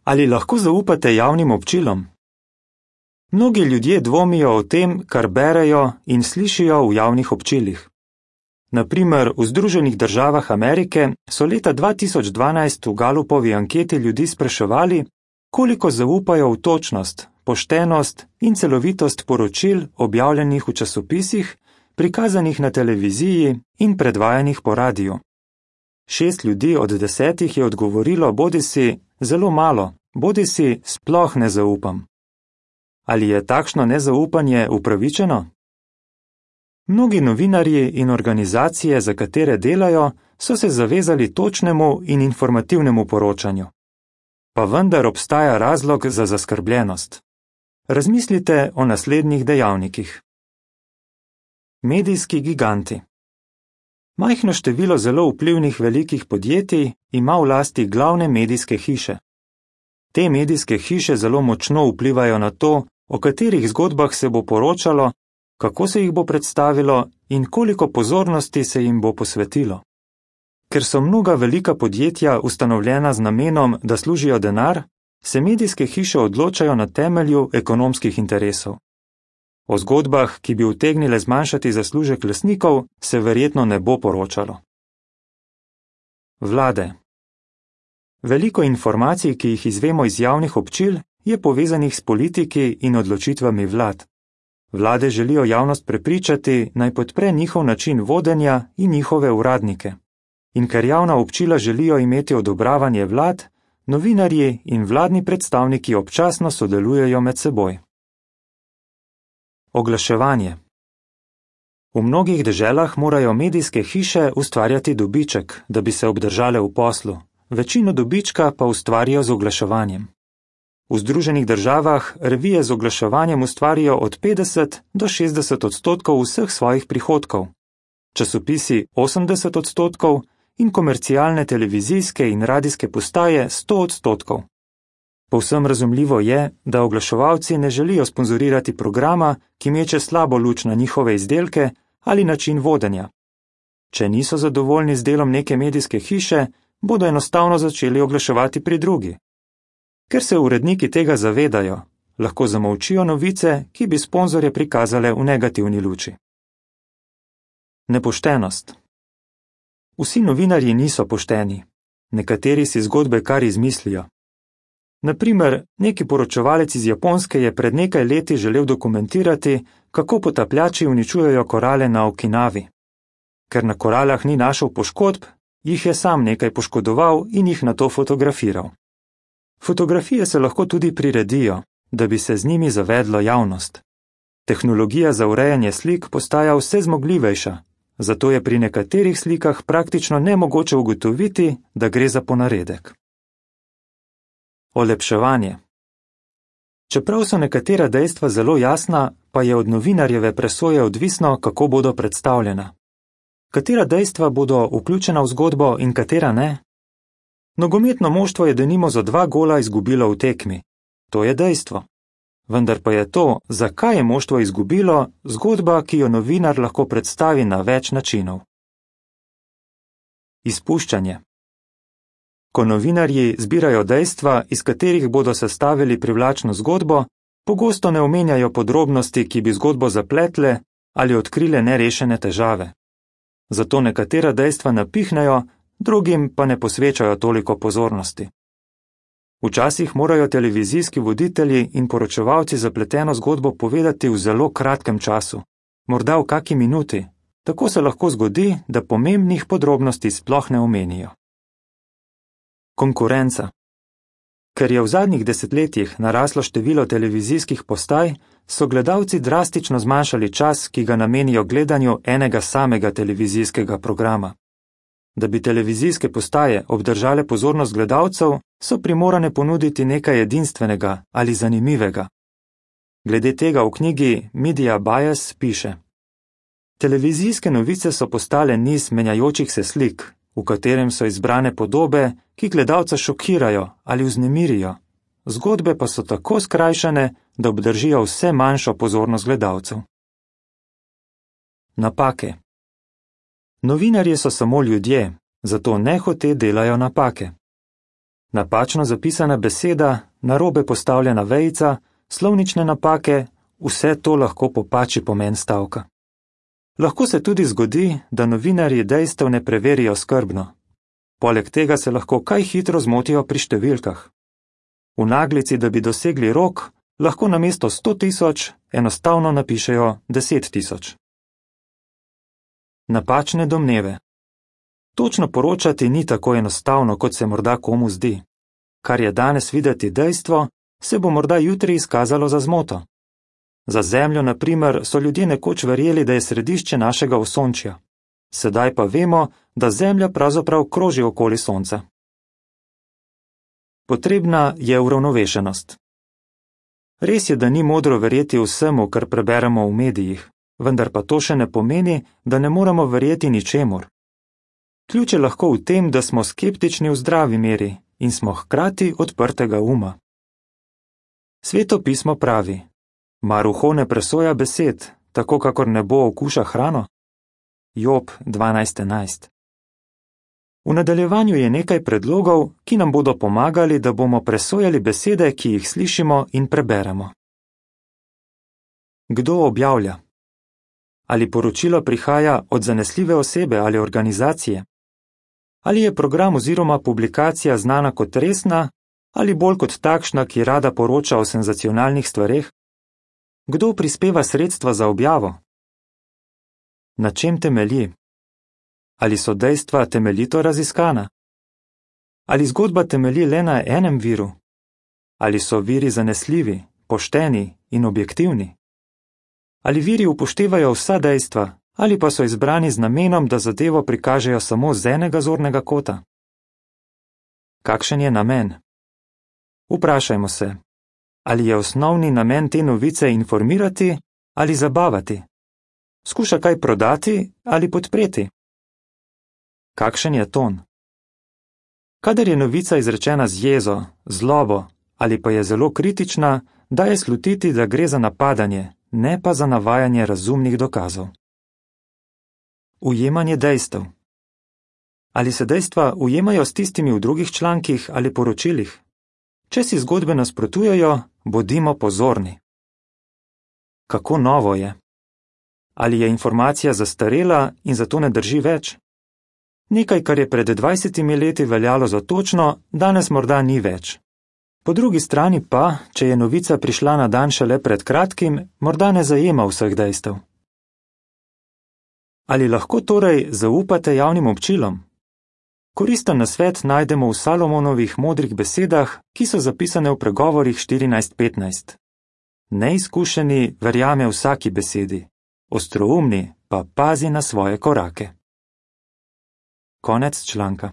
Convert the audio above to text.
Ali lahko zaupate javnim občilom? Mnogi ljudje dvomijo o tem, kar berejo in slišijo v javnih občilih. Na primer, v Združenih državah Amerike so leta 2012 v Gallupovi anketi ljudi spraševali, koliko zaupajo v točnost, poštenost in celovitost poročil objavljenih v časopisih, prikazanih na televiziji in predvajanih po radiju. 6 ljudi od 10 je odgovorilo bodisi zelo malo, bodisi sploh ne zaupam. Ali je takšno nezaupanje upravičeno? Mnogi novinarji in organizacije, za katere delajo, so se zavezali točnemu in informativnemu poročanju. Pa vendar obstaja razlog za zaskrbljenost. Razmislite o naslednjih dejavnikih. Medijski giganti. Majhno število zelo vplivnih velikih podjetij ima v lasti glavne medijske hiše. Te medijske hiše zelo močno vplivajo na to, o katerih zgodbah se bo poročalo, kako se jih bo predstavilo in koliko pozornosti se jim bo posvetilo. Ker so mnoga velika podjetja ustanovljena z namenom, da služijo denar, se medijske hiše odločajo na temelju ekonomskih interesov. O zgodbah, ki bi utegnile zmanjšati zaslužek lastnikov, se verjetno ne bo poročalo. Vlade. Veliko informacij, ki jih izvemo iz javnih občil, je povezanih s politiki in odločitvami vlad. Vlade želijo javnost prepričati, naj podpre njihov način vodenja in njihove uradnike. In ker javna občila želijo imeti odobravanje vlad, novinarji in vladni predstavniki občasno sodelujejo med seboj. Oglaševanje. V mnogih deželah morajo medijske hiše ustvarjati dobiček, da bi se obdržale v poslu, večino dobička pa ustvarijo z oglaševanjem. V Združenih državah revije z oglaševanjem ustvarijo od 50 do 60% vseh svojih prihodkov, časopisi 80% in komercialne televizijske in radijske postaje 100%. Povsem razumljivo je, da oglaševalci ne želijo sponzorirati programa, ki meče slabo luč na njihove izdelke ali način vodenja. Če niso zadovoljni z delom neke medijske hiše, bodo enostavno začeli oglaševati pri drugi. Ker se uredniki tega zavedajo, lahko zamolčijo novice, ki bi sponzorje prikazale v negativni luči. Nepoštenost. Vsi novinarji niso pošteni. Nekateri si zgodbe kar izmislijo. Na primer, neki poročevalec iz Japonske je pred nekaj leti želel dokumentirati, kako potapljači uničujejo korale na Okinavi. Ker na koralah ni našel poškodb, jih je sam nekaj poškodoval in jih nato fotografiral. Fotografije se lahko tudi priredijo, da bi se z njimi zavedlo javnost. Tehnologija za urejanje slik postaja vse zmogljivejša, zato je pri nekaterih slikah praktično nemogoče ugotoviti, da gre za ponaredek. Olepševanje. Čeprav so nekatera dejstva zelo jasna, pa je od novinarjeve presoje odvisno, kako bodo predstavljena. Katera dejstva bodo vključena v zgodbo in katera ne? Nogometno moštvo je denimo za 2 gola izgubilo v tekmi. To je dejstvo. Vendar pa je to, zakaj je moštvo izgubilo, zgodba, ki jo novinar lahko predstavi na več načinov. Izpuščanje. Ko novinarji zbirajo dejstva, iz katerih bodo sestavili privlačno zgodbo, pogosto ne omenjajo podrobnosti, ki bi zgodbo zapletle ali odkrile nerešene težave. Zato nekatera dejstva napihnejo, drugim pa ne posvečajo toliko pozornosti. Včasih morajo televizijski voditelji in poročevalci zapleteno zgodbo povedati v zelo kratkem času, morda v kaki minuti, tako se lahko zgodi, da pomembnih podrobnosti sploh ne omenijo. Konkurenca. Ker je v zadnjih desetletjih naraslo število televizijskih postaj, so gledalci drastično zmanjšali čas, ki ga namenijo gledanju enega samega televizijskega programa. Da bi televizijske postaje obdržale pozornost gledalcev, so primorane ponuditi nekaj edinstvenega ali zanimivega. Glede tega v knjigi Media Bias piše: Televizijske novice so postale niz menjajočih se slik, v katerem so izbrane podobe, ki gledalca šokirajo ali vznemirijo, zgodbe pa so tako skrajšane, da obdržijo vse manjšo pozornost gledalcev. Napake. Novinarji so samo ljudje, zato nehote delajo napake. Napačno zapisana beseda, narobe postavljena vejica, slovnične napake, vse to lahko popači pomen stavka. Lahko se tudi zgodi, da novinarji dejstev ne preverijo skrbno. Poleg tega se lahko kaj hitro zmotijo pri številkah. V naglici, da bi dosegli rok, lahko namesto 100.000 enostavno napišejo 10.000. Napačne domneve. Točno poročati ni tako enostavno, kot se morda komu zdi. Kar je danes videti dejstvo, se bo morda jutri izkazalo za zmoto. Za Zemljo, na primer, so ljudje nekoč verjeli, da je središče našega osončja. Sedaj pa vemo, da Zemlja pravzaprav kroži okoli Sonca. Potrebna je uravnovešenost. Res je, da ni modro verjeti vsemu, kar preberemo v medijih, vendar pa to še ne pomeni, da ne moremo verjeti ničemur. Ključ je lahko v tem, da smo skeptični v zdravi meri in smo hkrati odprtega uma. Sveto pismo pravi: mar uho ne presoja besed, tako kakor nebo okuša hrano? Job 12:11. V nadaljevanju je nekaj predlogov, ki nam bodo pomagali, da bomo presojali besede, ki jih slišimo in preberemo. Kdo objavlja? Ali poročilo prihaja od zanesljive osebe ali organizacije? Ali je program oziroma publikacija znana kot resna ali bolj kot takšna, ki rada poroča o senzacionalnih stvareh? Kdo prispeva sredstva za objavo? Na čem temelji? Ali so dejstva temeljito raziskana? Ali zgodba temelji le na enem viru? Ali so viri zanesljivi, pošteni in objektivni? Ali viri upoštevajo vsa dejstva, ali pa so izbrani z namenom, da zadevo prikažejo samo z enega zornega kota? Kakšen je namen? Vprašajmo se, ali je osnovni namen te novice informirati ali zabavati? Skuša kaj prodati ali podpreti? Kakšen je ton? Kadar je novica izrečena z jezo, zlobo ali pa je zelo kritična, daje slutiti, da gre za napadanje, ne pa za navajanje razumnih dokazov. Ujemanje dejstev. Ali se dejstva ujemajo s tistimi v drugih člankih ali poročilih? Če si zgodbe nasprotujejo, bodimo pozorni. Kako novo je? Ali je informacija zastarela in zato ne drži več? Nekaj, kar je pred 20 leti veljalo za točno, danes morda ni več. Po drugi strani pa, če je novica prišla na dan šele pred kratkim, morda ne zajema vseh dejstev. Ali lahko torej zaupate javnim občilom? Koristen nasvet najdemo v Salomonovih modrih besedah, ki so zapisane v pregovorih 14:15. Neizkušeni verjame vsaki besedi, ostroumni pa pazi na svoje korake. Konec članka.